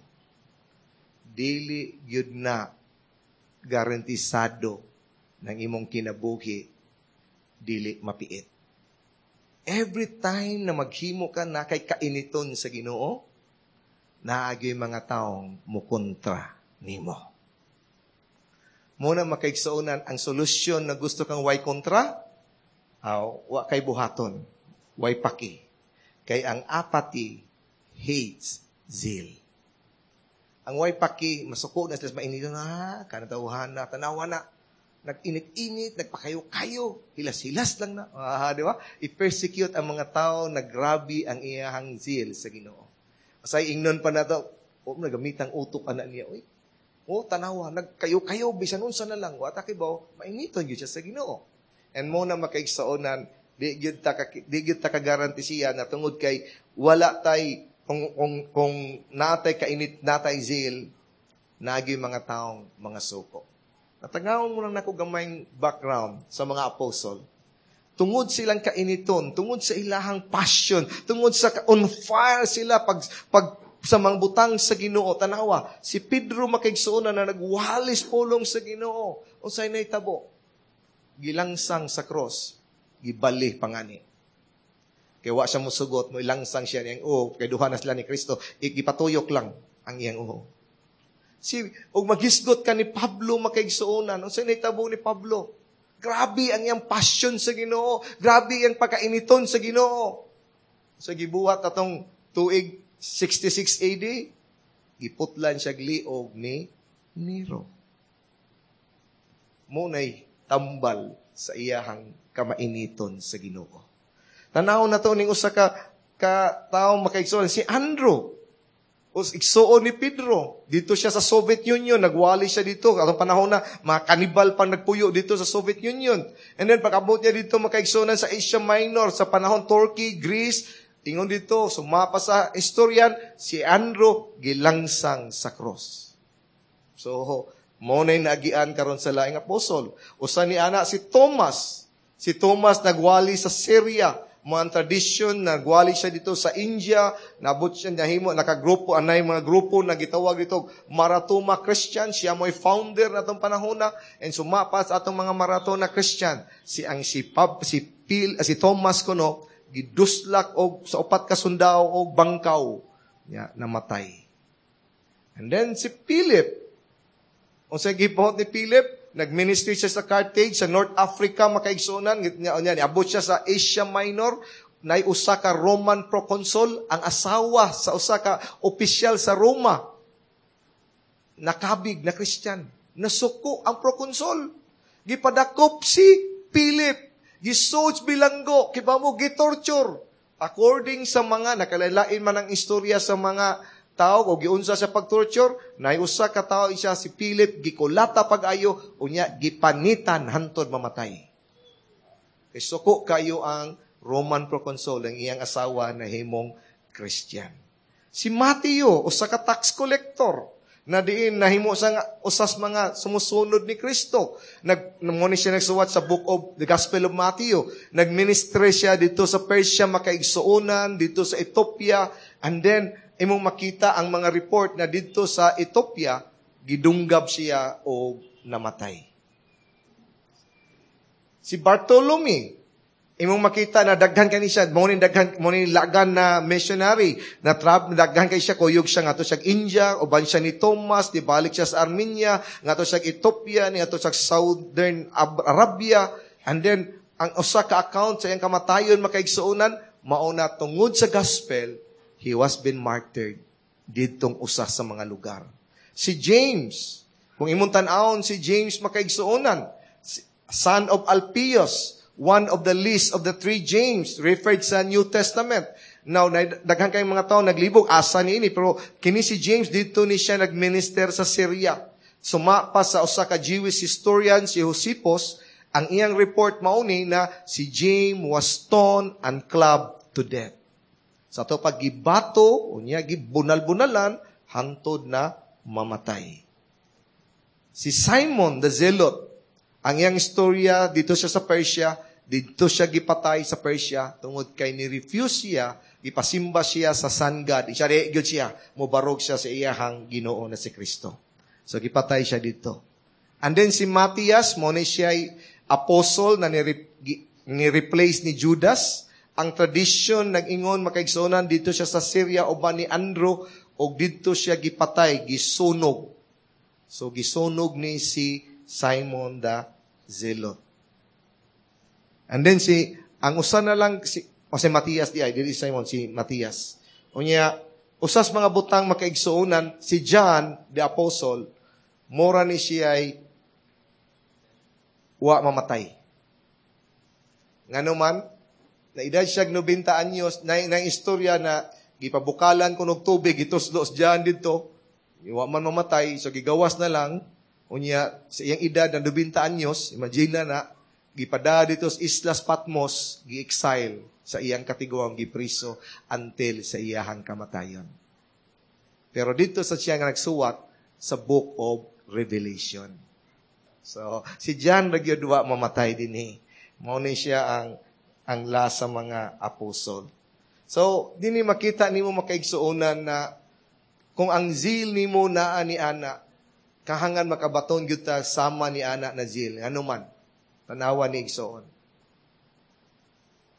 dili gyud na garantisado ng imong kinabuhi dili mapiit. Every time na maghimo ka na kay kainiton sa Ginoo, naagyo'y mga taong mukontra nimo. Muna makaigsuonan, ang solusyon na gusto kang way kontra, aw, wa kay buhaton, way paki. Kay ang apathy hates zeal. Ang way paki, masuko na sila sa mainiton, na, kanatawhan na, tanawa na. Nag-init-init, nagpakayo-kayo, hilas-hilas lang na. Ah, di ba? I-persecute ang mga tao na grabe ang iyahang zeal sa Ginoo. Asay ingnon pa na to, oh, nagamitang utok ana niya. Uy, oh, tanawa, nagkayo-kayo, bisan unsa na lang, wa ta kibaw, mainiton gyud siya sa Ginoo. And mo na makaigsaonan, di gyud ta ka-guarantee siya na tungod kay wala tay kung natay kainit, natay zeal, nagi mga taong mga suko. Natagawon mo lang nako gamayng background sa mga apostle. Tungod silang kainiton, tungod sa ilahang passion, tungod sa on fire sila pag sa mga butang sa Ginoo. Tanawa, si Pedro, makaigsuonan, na nagwalis pulong sa Ginoo. Unsay nahitabo? Gilangsang sa cross, gibali pangani. Kay wa siya musugot, mo ilangsang siya niyang uho, kay duha na sila ni Kristo, gipatuyok lang ang iyang uho. Si og maghisgot ka ni Pablo, makaigsuonan, unsay nahitabo ni Pablo? Grabe ang iyang passion sa Ginoo, grabe ang pagkainiton sa Ginoo. Sa gibuhat atong tuig 66 AD, giputlan siya liog ni Nero. Munay tambal sa iyahang kamainiton sa Ginoo. Tanaw na to ning usa ka tawo, makaigsuon, si Andrew. Os igsuon ni Pedro. Dito siya sa Soviet Union, nagwali siya dito. Atong panahon na mga kanibal pang nagpuyo dito sa Soviet Union. And then pag-abot niya dito, makaigsuonan, sa Asia Minor, sa panahon Turkey, Greece, ingon dito, sumapa sa historian, si Andrew gilangsang sa cross. So, mo na naagian karon sa laing apostol. Usa ni ana si Thomas. Si Thomas nagwali sa Syria. Mga tradisyon, nagwali siya dito sa India, nabot siya, nahimo, nakagrupo, anay mga grupo na gitawag dito, Maratoma Christian, siya mo'y founder na atong panahon na, and sumapa sa atong mga Maratona Christian. Si ang si Pab, si Pil, si Thomas kuno, giduslak og sa upat ka sundao og bangkaw, niya namatay. And then si Philip, unsay gibuhat ni Philip? Nag-ministry siya sa Carthage, sa North Africa, makaigsuonan, niya, niabot siya sa Asia Minor, nay usa ka Roman proconsul, ang asawa sa usa ka opisyal sa Roma, nakabig na Christian. Nasuko ang proconsul. Gipadakop si Philip. Gisuj bilanggo, kiba mo, gitorture. According sa mga, nakalalain man ang istorya sa mga tao o giunsa sa pag-torture, nay usa ka tawo siya si Philip gikulata pag-ayo, unya gipanitan hantod mamatay. Kay suko kayo ang Roman proconsul, ang iyang asawa na himong Christian. Si Mateo, usa ka tax collector, na diin nahimo sa nga usas mga sumusunod ni Kristo. Nag mo ni siya nagsuwat sa book of the Gospel of Matthew. Nagministry siya dito sa Persia, makaigsuonan, dito sa Ethiopia, and then imong makita ang mga report na dito sa Ethiopia gidunggab siya o namatay. Si Bartolome, imong makita na daghan kani siya, mo ni daghan mo ni lagan na missionary, na trab daghan kay siya, kuyog siya ngadto siya India, uban siya ni Thomas, di balik siya sa Armenia, ngadto siya Ethiopia, ngadto siya Southern Arabia, and then ang usa ka account sa iyang kamatayon, makaigsuonan, mao na tungod sa gospel, he was been martyred didtong usa sa mga lugar. Si James, kung imong tan-awon si James, makaigsuonan, son of Alphaeus, one of the list of the three James referred sa New Testament. Now, daghan kayong mga tao naglibog, asa ni ini, pero kini si James, dito ni siya nagminister sa Syria. Sumapa sa usa ka Jewish historian, si Josephus, ang iyang report mauni na si James was stoned and clubbed to death. Sa to paggibato, unya gibunal-bunalan, hangtod na mamatay. Si Simon the Zealot, ang iyang istorya, dito siya sa Persia, dito siya gipatay sa Persia, tungod kay ni-refuse siya, gipasimba siya sa sun god. Siya, di, gyud siya, mobarog siya sa iyahang Ginoo na si Kristo. So, gipatay siya dito. And then si Matthias, mo ni siya apostle na ni-replace ni Judas. Ang tradisyon nag-ingon, makaigsuonan, dito siya sa Syria uban ni Andrew, og dito siya gipatay, gisunog. So gisunog ni si Simon the Zealot. And then si ang usa na lang si o si Matthias di ay dili Simon, si Matthias. Unya usas mga butang, makaigsuonan, si John the apostle, mora ni siya ay Wa mamatay. Ngano man, na edad siya 90 anyos, na istorya na gipabukalan ko og tubig, gituslo diyan didto, wa man mamatay, so gigawas na lang, unya sa iyang edad na 90 anyos, imagine na na, gipada dito sa Islas Patmos, gi-exile sa iyang katiguang, gipriso until sa iyahang kamatayon. Pero dito sa siya nga nagsuwat sa Book of Revelation. So, si John ra gyud wa mamatay dinhi. Mao ni siya ang last sa mga apostol. So, dinhi makita nimo, makaigsuonan, na kung ang zeal nimo naa ni ana, kahangan makabaton gyud ta sama ni ana na zeal. Ano man, tanawa ni, igsoon.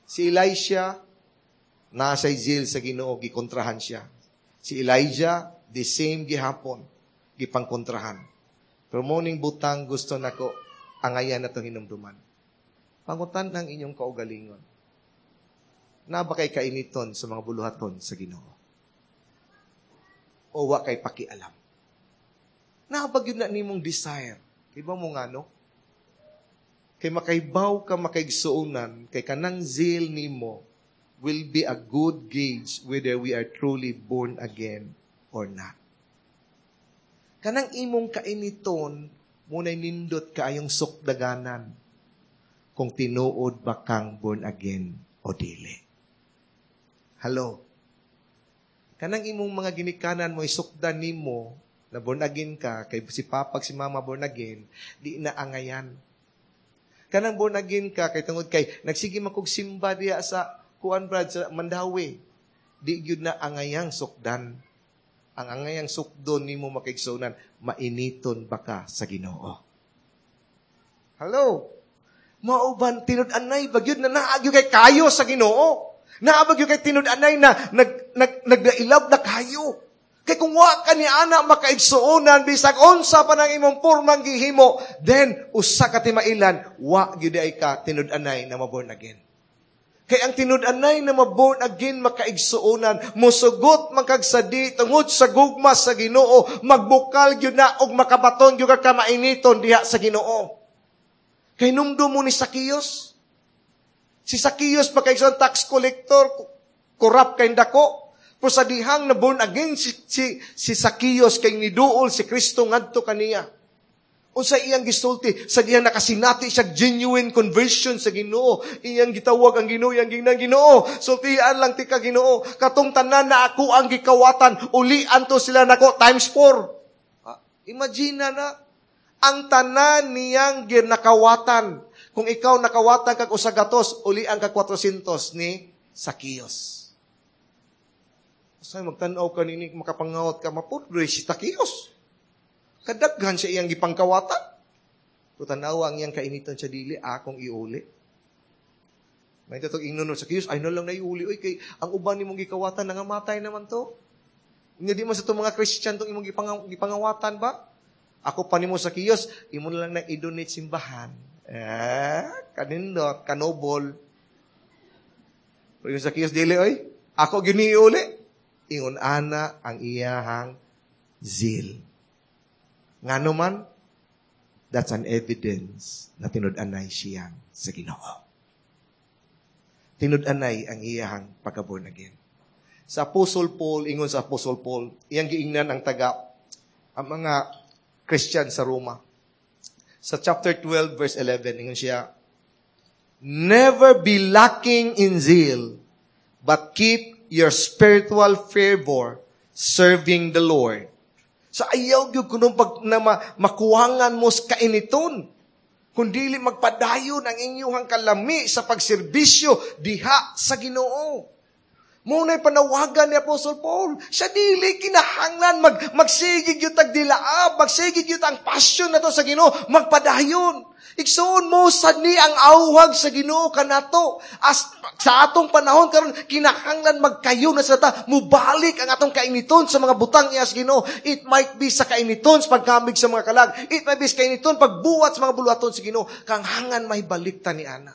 Si Elisha, nasa zeal sa Ginoo, gikontrahan siya. Si Elijah, the same gihapon, gipangkontrahan. Pero morning butang gusto nako angayan na itong hinumduman. Pangutan ang inyong kaugalingon. Na ba kay kainiton sa mga buluhaton sa Ginoo? O wa kay pakialam? Naa ba gyud na nimong desire? Iba mo nga, no? Kay makaibaw ka, makaigsuonan, kay kanang zeal nimo will be a good gauge whether we are truly born again or not. Kanang imong kainiton, muna'y nindot kaayong sukdaganan kung tinuod ba kang born again o dili. Hello? Kanang imong mga ginikanan mo isukdan nimo na born again ka, kay si papa, si mama born again, di na angayan. Kanang born again ka, kay tungod kay nagsige man kog simba diya sa kuan, brad, sa Mandaue, di gyud na angayang sukdan. Ang angayang sukdon nimo, makaigsuonan, mainiton ba ka sa Ginoo? Hello? Mao ban tinud-anay ba gyud na naa gyud kay kayo sa Ginoo? Naa ba gyud kay tinud-anay na nag, nag, nagdailab na kayo? Kay kung wa ka ni ana, makaigsuonan, bisag unsa pa nang imong pormang gihimo, then usa ka timailan, wa gyud ay ka tinud-anay na maborn again. Kay ang tinud-anay na maborn again, makaigsuonan, musugot man kag sadi tungod sa gugma sa Ginoo, magbukal gyud na og makabaton gyud ka mainiton diha sa Ginoo. Kay numdum mo ni Zacchaeus. Si Zacchaeus, pagkaigsoon, tax collector, corrupt kay dako. Pero sa dihang na born again si Zacchaeus, kay niduol si Kristo ngadto kaniya. Unsa iyang gisulti sa dihang nakasinati siya genuine conversion sa Ginoo? Iyang gitawag ang Ginoo, iyang gingnan, "Ginoo, sultian lang tika, Ginoo. Katong tanan na ako ang gikawatan, ulian to sila nako times 4." Ah, imagine na na ang tanan niyang ginakawatan. Kung ikaw nakawatan kag usa gatos, ulian ka 400 ni Zacchaeus. Sa magtan-aw ka nini, makapangawat ka, mapudloy si Zacchaeus. Kadaghan siya iyang gipangkawatan. Pero tanawa ang iyang kainitan sa dili, akong iuli. May tatong ingnon sa Zacchaeus, "Ay na lang na iuli, oy, kay ang uban nimong gikawatan, nangamatay naman to. Hindi di man sa itong mga Christian tong imong gipangawatan ba? Ako pa nimo, Zacchaeus, imo na lang na i-donate simbahan." Eh, kanindot, kanobol. Pero yung Zacchaeus, "Dili oy, ako gyud iuli." Ingon ana ang iyahang zeal. Ngano man, that's an evidence na tinud-anay siyang sa Ginoo. Tinud-anay ang iyahang pagka-born again. Sa Apostle Paul, ingon sa Apostle Paul, iyang giingnan ang taga, ang mga Christian sa Roma. Sa chapter 12, verse 11, ingon siya, "Never be lacking in zeal, but keep your spiritual fervor serving the Lord." Sa ayaw gyud kuno pag na makuwangan mo sa kainiton. Kung dili magpadayon ang inyong kalami sa pagserbisyo diha sa Ginoo. Mao na'y panawagan ni Apostle Paul. Sa dili kinahanglan magsigig gyud tag dilaab, magsigig gyud ang passion nato sa Ginoo, magpadayon. Igsoon, mo sad ni ang auhag sa Ginoo kanato. As sa atong panahon karon, kinahanglan magkayo na sa ta, mubalik ang atong kainiton sa mga butang iya sa Ginoo. It might be sa kainiton sa pagkamig sa mga kalag. It might be sa kainiton pagbuhat sa mga buluhaton sa Ginoo. Kanghangan may balik ta ni ana.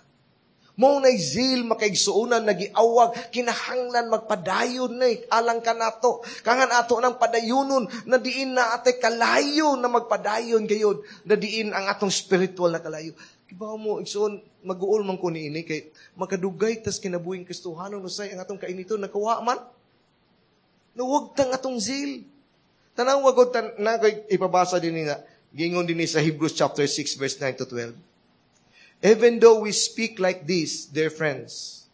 Mao na zeal, makaigsuonan, nagiawag, kinahanglan magpadayon na alang kanato. Kangan ato ng padayunon na diin na ate kalayo na magpadayon gayod, na diin ang atong spiritual na kalayo. Kibaw mo, igsoon, mag-uol man ko niini kay makadugay tas kinabuhing Kristohanon usay ang atong kainiton nakawa man. Nawag tang atong zeal. Tanaw ko tan na ko'y ipabasa din nga gingon din sa Hebrews chapter 6 verse 9 to 12. "Even though we speak like this, dear friends,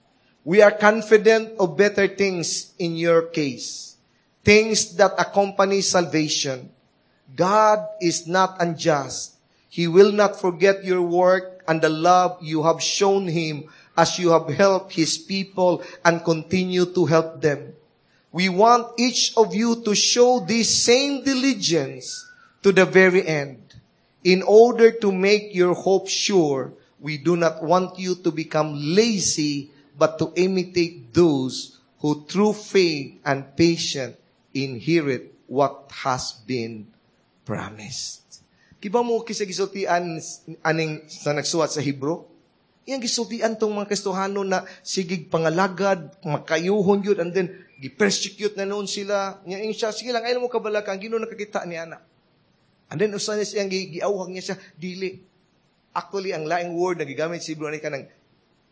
we are confident of better things in your case, things that accompany salvation. God is not unjust. He will not forget your work and the love you have shown Him as you have helped His people and continue to help them. We want each of you to show this same diligence to the very end. In order to make your hope sure, we do not want you to become lazy, but to imitate those who through faith and patience inherit what has been promised." Kibaw mo kinsa gisultian aning sa nagsuwat sa Hebrew? Iyang gisultian tong mga Kristohano na sigig pangalagad, makayuhon yun, and then gi-persecute na noon sila. Nya siya, "Sige lang, ayaw mo kabalaka, ang Ginoo nakakita ni ana." And then usa niya siyang giawhag niya siya, dili. Actually, ang laing word na gigamit sa Hebrew ani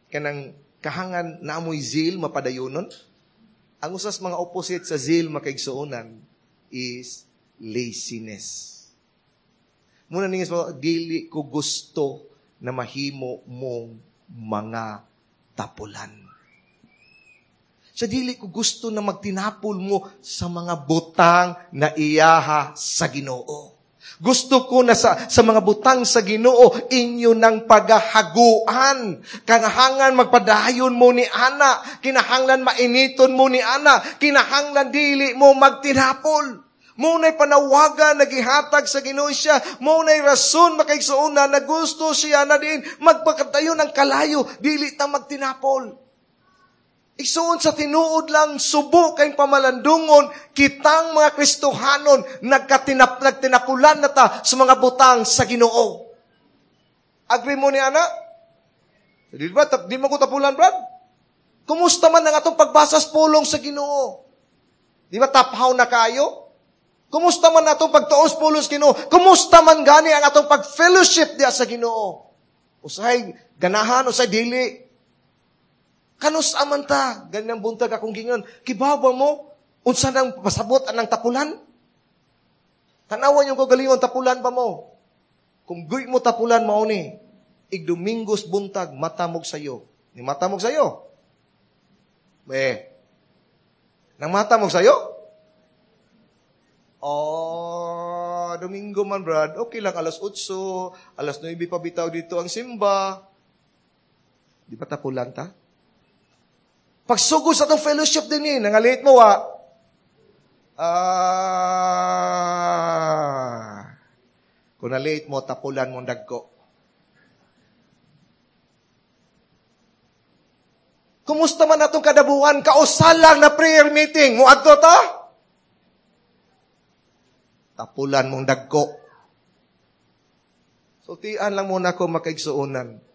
kanang kahangan na amoy zeal mapadayonon. Ang usas mga opposite sa zeal, makaigsuonan, is laziness. Muna ninyo sa dili ko gusto na mahimo mong mga tapulan. Sa dili ko gusto na magtinapol mo sa mga butang na iyaha sa Ginoo. Gusto ko na sa mga butang sa Ginoo inyo nang pagahaguan. Kinahanglan magpadayon mo ni ana. Kinahanglan mainiton mo ni ana. Kinahanglan dili mo magtinapol. Mao na'y panawagan nagihatag sa Ginoo siya. Mao na'y rason, makaigsuon, na gusto siya na din magpakatayo ng kalayo, dili ta magtinapol. Igsuon, sa tinuod lang, subo kay pamalandungon, kitang mga Kristohanon, nagtinapulan na ta sa mga butang sa Ginoo. Agree mo ni ana? Di ba? Di mo ko tapulan, Brad? Kumusta man ang atong pagbasa sa pulong sa Ginoo? Di ba taphaw na kayo? Kumusta man atong pagtuos pulong sa Ginoo? Kumusta man gani ang atong pag-fellowship diya sa Ginoo? Usahay ganahan, usahay dili. Kanus aman ta, ganyang buntag akong gingon, kibaw ba mo unsa nang pasabot anang tapulan? Tanawan yung kagalingon, tapulan ba mo? Kung guy mo tapulan mao ni, igdomingos buntag, matamog sayo. Ni matamog sayo? Eh, nang matamog sayo? Oh, Domingo man, Brad. Okay lang, alas 8, alas 9 pa bitaw dito ang simba. Di ba tapulan ta? Pagsugod sa atong fellowship din eh, nangalit mo wa. Ah, kung nalate mo, tapulan mong dagko. Kumusta man atong kadabuan, kausa lang na prayer meeting, muadto ta? Tapulan mong dagko. Sultian lang muna ko, makaigsuonan.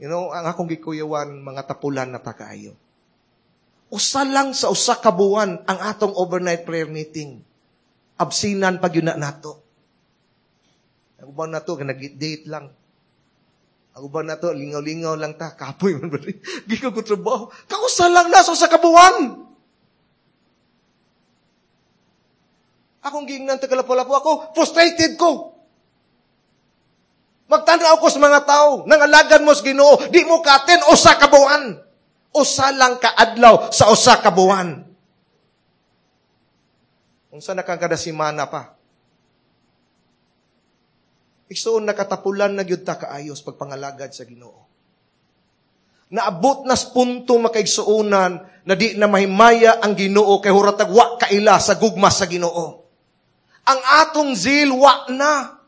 Ang akong gikuyawan, mga tapulan na takaayo. Usa lang sa usa ka buwan ang atong overnight prayer meeting. Absinan pag yun na nato. Ang uban nato, nag-date lang. Ang uban nato, lingaw-lingaw lang ta. Kapoy man ba rin? Di ko trabaho. Kausa lang na sa usa ka buwan. Akong giingnan tagalapolapo ako, frustrated ko. Magtanaw ko sa mga tao, nangalagan mo sa Ginoo, di mo katen usa ka buwan. Usa lang kaadlaw sa usa ka buwan. Unsa na kang kada semana pa? Igsuon nakatapulan na gyud ta kaayos pagpangalagad sa Ginoo. Naabot na sa punto, makaigsuonan, na di na mahimaya ang Ginoo kay huratag wa kaila sa gugma sa Ginoo. Ang atong zeal wa na.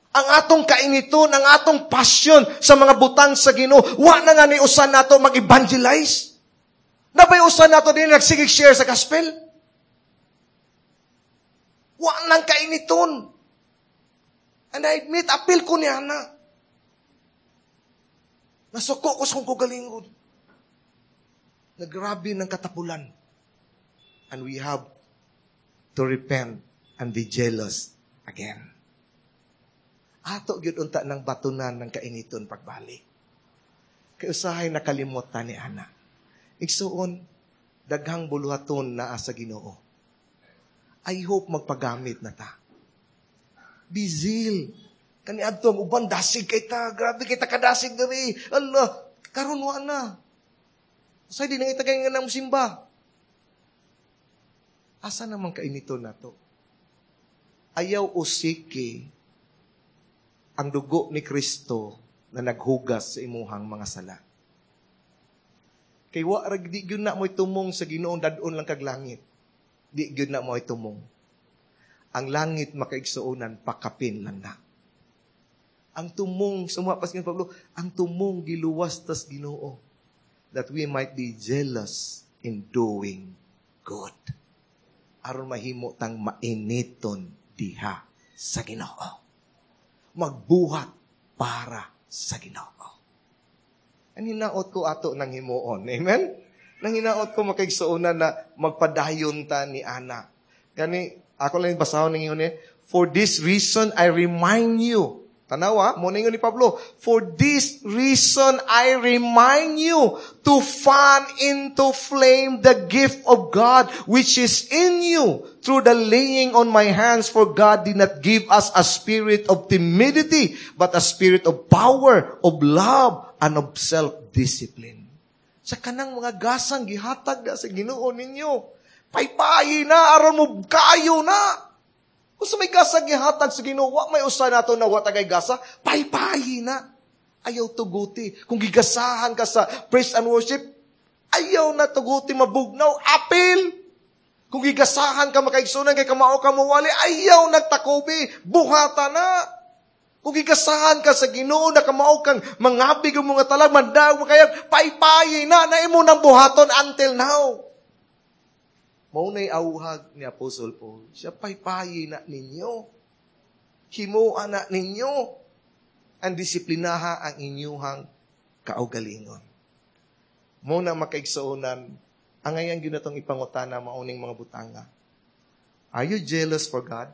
Ang atong kainiton, ang atong passion sa mga butang sa Ginoo, wa na nga ni usan nato mag-evangelize. Nabay usan nato din nagsigig share sa gospel. Wa nang kainiton. And I admit, apil ko niya na. Nasuko ko sa kong kagalingon. Nagrabe ng katapulan. And we have to repent and be jealous again. Ato gyud unta ng batunan ng kainiton pagbalik. Kay usahay nakalimutan ni ana. Igsuon, daghang buluhaton naa sa Ginoo. I hope magpagamit na ta. Be zeal. Kani adto ang uban dasig kay ta, grabe kay ta kadasig diri. Allah, karon wa na. Usahay di nang itagay nga nang simba. Asa naman kainiton nato? Ayaw usiki ang dugo ni Kristo na naghugas sa imuhang mga sala. Kay wa ra di gyud na mo'y tumong sa Ginoong dad-on lang kag langit. Di gyud na mo'y tumong. Ang langit makaigsuonan pakapin lang na. Ang tumong sumuha pas Pablo, ang tumong giluwas tas Ginoo that we might be jealous in doing good. Aron mahimo tang mainiton diha sa Ginoo. Magbuhat para sa Ginoo. Ang hinaot ko ato nang himuon. Amen? Nang hinaot ko makaigsuonan na magpadayon ta ni ana. Gani, ako lang basahon ng ingon. For this reason, I remind you. Tanawa, mo na ingon ni Pablo. For this reason, I remind you to fan into flame the gift of God which is in you through the laying on my hands. For God did not give us a spirit of timidity, but a spirit of power, of love, and of self-discipline. Sa kanang mga gasang gihatag na sa Ginoo ninyo, paypayi na, aron mo kayo na. Kung sa may gasa gihatag sa Ginoo, wa may usa nato na wa tagay gasa, paypayi na. Ayaw tuguti. Kung gigasahan ka sa praise and worship, ayaw na tuguti mabugnaw, apil. Kung gigasahan ka makaigsunan kay kamao ka mawali, ayaw nagtakobi, buhata na. Kung gigasahan ka sa Ginoo na kamao kang mangabig ang mga talag, mandaog mo kaya, paypayi na, na imo nang buhaton until now. Mao na'y auhag ni Apostle Paul. Siya paypayi na ninyo. Himoa na ninyo. Ang disiplinaha ang inyuhang kaugalingon. Mo na makaigsuonan, ang ngayon gyud natong ipangutana mauning mga butanga. Are you jealous for God?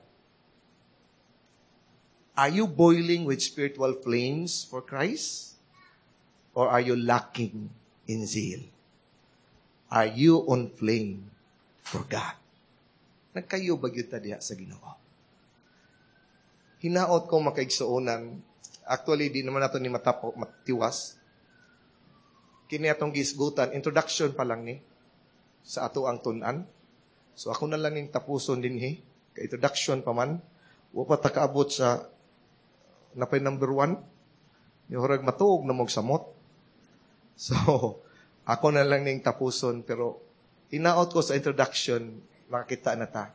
Are you boiling with spiritual flames for Christ? Or are you lacking in zeal? Are you on flame for God? Nagkayo ba gyud ta diha sa Ginoo? Hinaot ko makaigsuonan. Actually, di naman nato ni matapo, matiwas. Kini atong gisgutan, introduction pa lang ni sa ato ang tun-an. So ako na lang ning tapuson dinhi. Kay introduction pa man. Wa pa ta kaabot sa napay number 1. Yung matuog na mog samot. So, ako na lang ning tapuson, pero hinaot ko sa introduction, makakita na ta.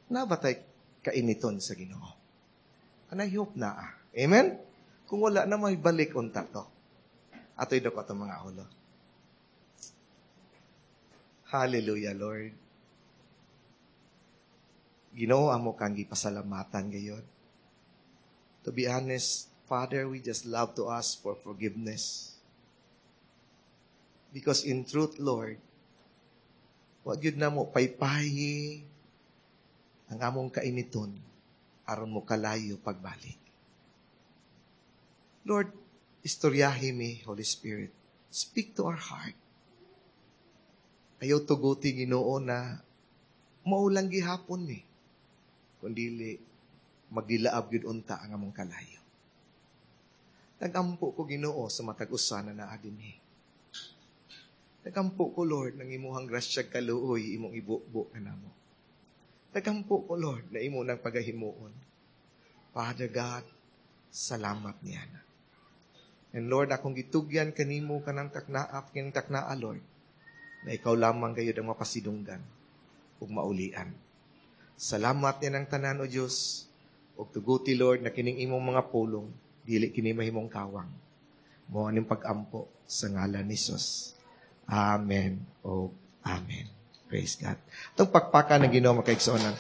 Na ba tayo kainiton sa Ginoo? And I hope na. Amen? Kung wala na, may balik unta to. Ato'y dako itong mga ulo. Hallelujah, Lord. Ginoo, amo kang gipasalamatan gayon. To be honest, Father, we just love to ask for forgiveness. Because in truth, Lord, wa gyud na mo paypayi ang among kainiton aron mo kalayo pagbalik. Lord, istoryahi mi, Holy Spirit. Speak to our heart. Ayaw tuguti Ginoo na maulang gihapon ni. Kundili magdilaab gyud unta ang among kalayo. Nagampo ko Ginoo sa matag usa na naa dinhi. Nagampo ko, Lord, nang imuhang grasya kaluoy imong ibubo kanamo. Nagampo ko, Lord, na imo nang pagahimuon. Father God, salamat niya na. And Lord, akong gitugyan kanimo kanang taknaa, kining taknaa, Lord, na ikaw lamang gayud ang mapasidunggan ug maulian. Salamat niya ng tanan, O Diyos, ug tuguti, Lord, na kining imong mga pulong, dili kini mahimong kawang. Mo aning pag-ampo sa ngalan ni Jesus. Amen o Amen. Praise God. Itong pakpakan ng Ginoo makaigsuonan.